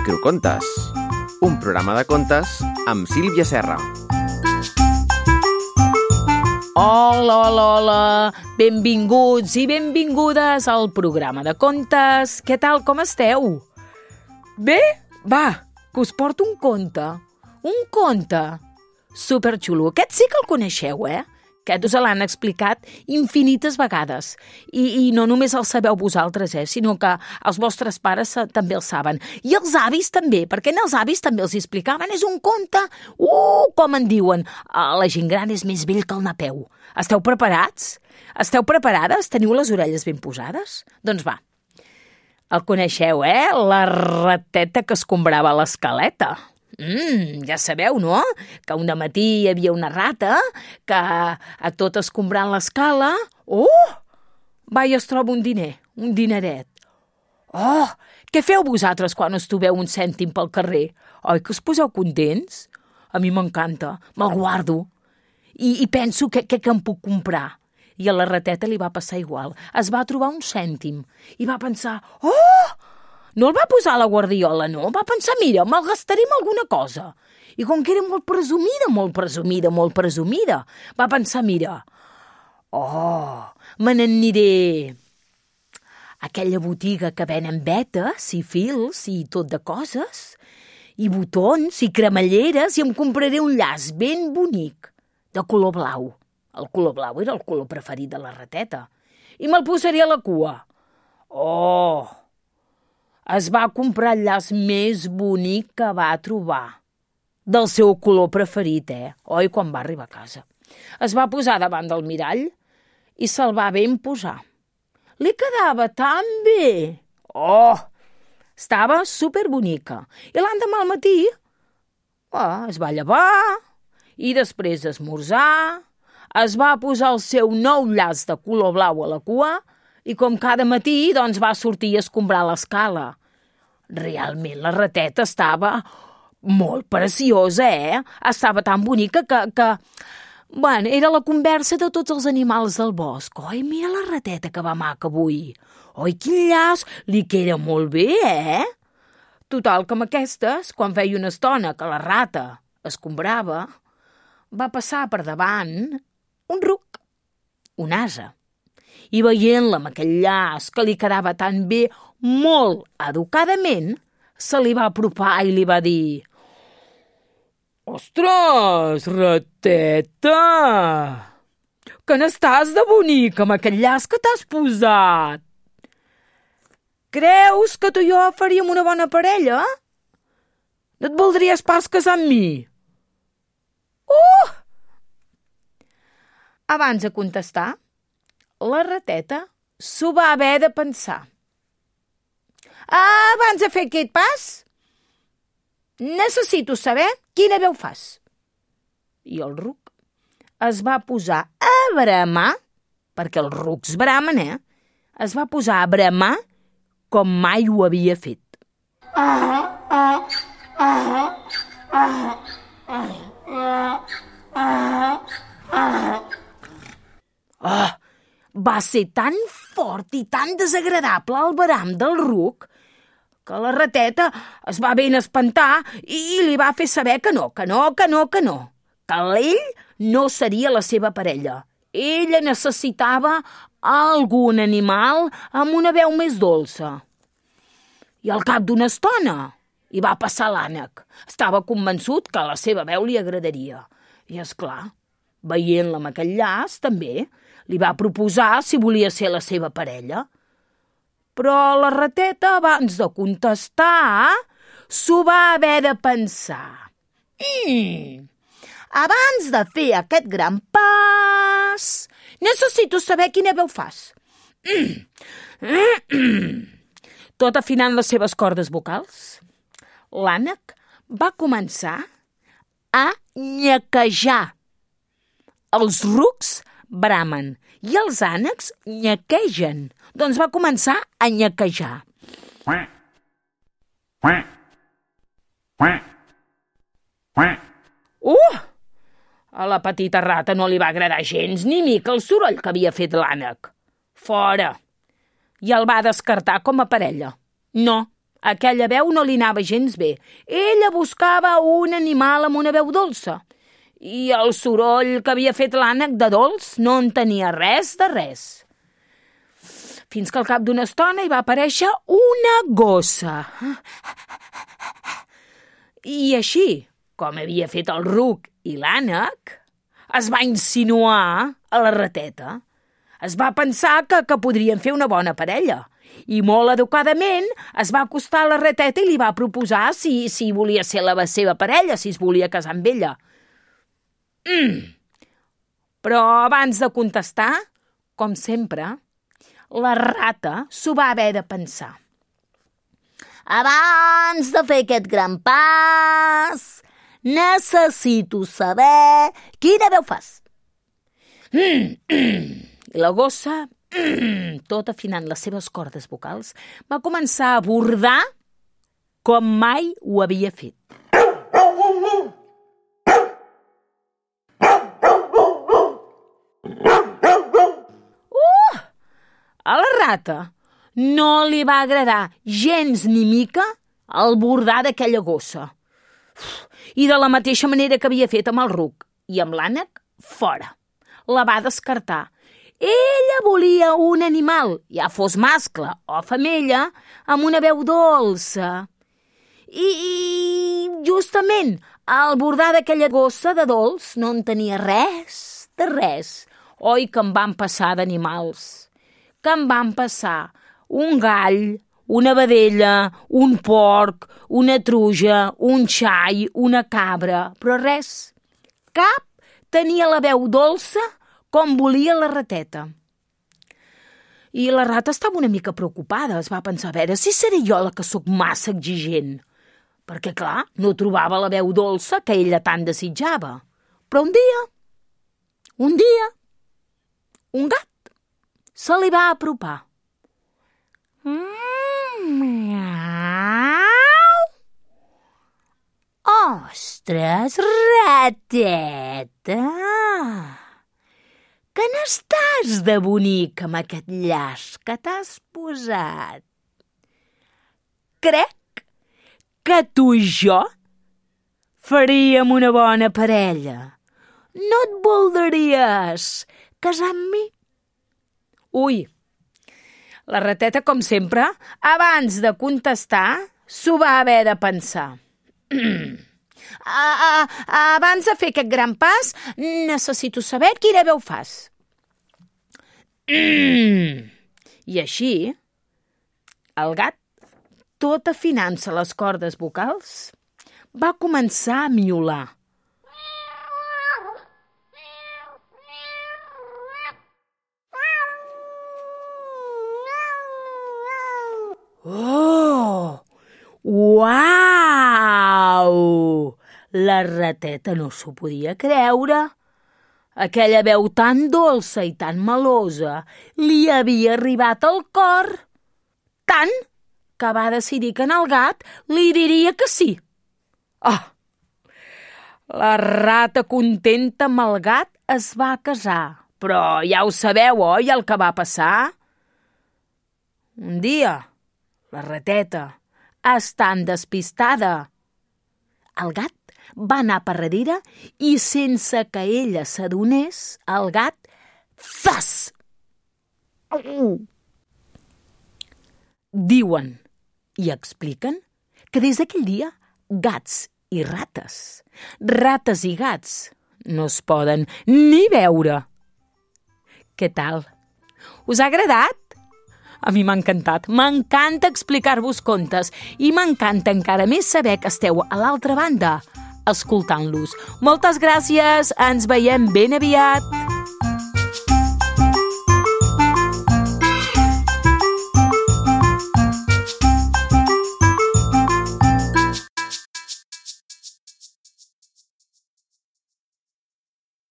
Microcontes, un programa de contes amb Sílvia Serra. Hola, hola, hola! Benvinguts i benvingudes al programa de contes. Què tal, com esteu? Bé? Va, que us porto un conte. Un conte superxulo. Aquest sí que el coneixeu, Aquest us l'han explicat infinites vegades. I no només el sabeu vosaltres, sinó que els vostres pares també el saben. I els avis també, perquè els avis també els explicaven. És un conte, com en diuen. La gent gran és més vell que el Napeu. Esteu preparats? Esteu preparades? Teniu les orelles ben posades? Doncs va. El coneixeu, La rateta que escombrava l'escaleta. Ja sabeu, no? Que un dematí hi havia una rata que a tot escombrant l'escala... Va, i es troba un diner, un dineret. Què feu vosaltres quan us trobeu un cèntim pel carrer? Oi que us poseu contents? A mi m'encanta, me'l guardo. I penso que em puc comprar. I a la rateta li va passar igual. Es va trobar un cèntim i va pensar... No el va posar a la guardiola, no? Va pensar, mira, me'l gastaré en alguna cosa. I com que era molt presumida, va pensar, mira, me n'aniré a aquella botiga que venen vetes i fils i tot de coses, i botons i cremalleres, i em compraré un llaç ben bonic, de color blau. El color blau era el color preferit de la rateta. I me'l posaré a la cua. Es va comprar el llaç més bonic que va trobar. Del seu color preferit, Oi, quan va arribar a casa. Es va posar davant del mirall i se'l va ben posar. Li quedava tan bé. Estava superbonica. I l'endemà al matí es va llevar i després d'esmorzar es va posar el seu nou llaç de color blau a la cua i com cada matí, doncs, va sortir a escombrar l'escala. Realment, la rateta estava molt preciosa, Estava tan bonica que... Bueno, era la conversa de tots els animals del bosc. Oi, mira la rateta que va maca avui. Oi, quin llaç, li queda molt bé, Total, com aquestes, quan feia una estona que la rata escombrava, va passar per davant un ruc, un ase. I veient-la amb aquell llaç que li quedava tan bé, molt educadament, se li va apropar i li va dir: «Ostres, rateta! Que n'estàs de bonica amb aquell llaç que t'has posat! Creus que tu i jo faríem una bona parella? No et voldries pas casar amb mi?» Abans de contestar, la rateta s'ho va haver de pensar. Abans de fer aquest pas, necessito saber quina veu fas. I el ruc es va posar a bramar, perquè els rucs bramen, es va posar a bramar com mai ho havia fet. Va ser tan fort i tan desagradable el bram del ruc que la rateta es va ben espantar i li va fer saber que no, que ell no seria la seva parella. Ella necessitava algun animal amb una veu més dolça. I al cap d'una estona hi va passar l'ànec. Estava convençut que la seva veu li agradaria. I, és clar, veient-la amb aquell llaç, també li va proposar si volia ser la seva parella. Però la rateta, abans de contestar, s'ho va haver de pensar. Abans de fer aquest gran pas, necessito saber quina veu fas. Tot afinant les seves cordes vocals, l'ànec va començar a llequejar. Els rucs bramen i els ànecs llequegen. Doncs va començar a llequejar. A la petita rata no li va agradar gens ni mica el soroll que havia fet l'ànec. Fora! I el va descartar com a parella. No, Aquella veu no li anava gens bé. Ella buscava un animal amb una veu dolça. I el soroll que havia fet l'ànec de dolç no en tenia res de res. Fins que al cap d'una estona hi va aparèixer una gossa. I així, com havia fet el ruc i l'ànec, es va insinuar a la rateta. Es va pensar que podrien fer una bona parella i molt educadament es va acostar a la rateta i li va proposar si volia ser la seva parella, si es volia casar amb ella. Però abans de contestar, com sempre, la rata s'ho va haver de pensar. Abans de fer aquest gran pas, necessito saber quina veu fas. I la gossa, tot afinant les seves cordes vocals, va començar a bordar com mai ho havia fet. A la rata no li va agradar gens ni mica el bordar d'aquella gossa. I de la mateixa manera que havia fet amb el ruc i amb l'ànec, fora. La va descartar. Ella volia un animal, ja fos mascle o femella, amb una veu dolça. I justament al bordar d'aquella gossa de dolç no en tenia res de res. Oi que em van passar d'animals. Que em van passar un gall, una vedella, un porc, una truja, un xai, una cabra, però res. Cap tenia la veu dolça com volia la rateta. I la rata estava una mica preocupada. Es va pensar, a veure si seré jo la que sóc massa exigent. Perquè, clar, no trobava la veu dolça que ella tant desitjava. Però un dia, un gat se li va apropar. Ostres, rateta! Que n'estàs de bonic amb aquest llaç que t'has posat? Crec que tu i jo faríem una bona parella. No et voldries casar amb mi? Ui, la rateta, com sempre, abans de contestar, s'ho va haver de pensar. Abans de fer aquest gran pas, necessito saber quina veu fas. I així, el gat, tot afinant-se les cordes vocals, va començar a miolar. Oh! Uau! La rateta no s'ho podia creure. Aquella veu tan dolça i tan melosa li havia arribat al cor. Tant que va decidir que el gat li diria que sí. Oh! La rata, contenta amb el gat, es va casar. Però ja ho sabeu, oi, el que va passar? Un dia, la rateta, estant despistada, el gat va anar per darrere i sense que ella s'adonés, el gat, zas! Diuen i expliquen que des d'aquell dia gats i rates i gats no es poden ni veure. Què tal? Us ha agradat? A mi m'ha encantat. M'encanta explicar-vos contes i m'encanta encara més saber que esteu a l'altra banda escoltant-los. Moltes gràcies. Ens veiem ben aviat.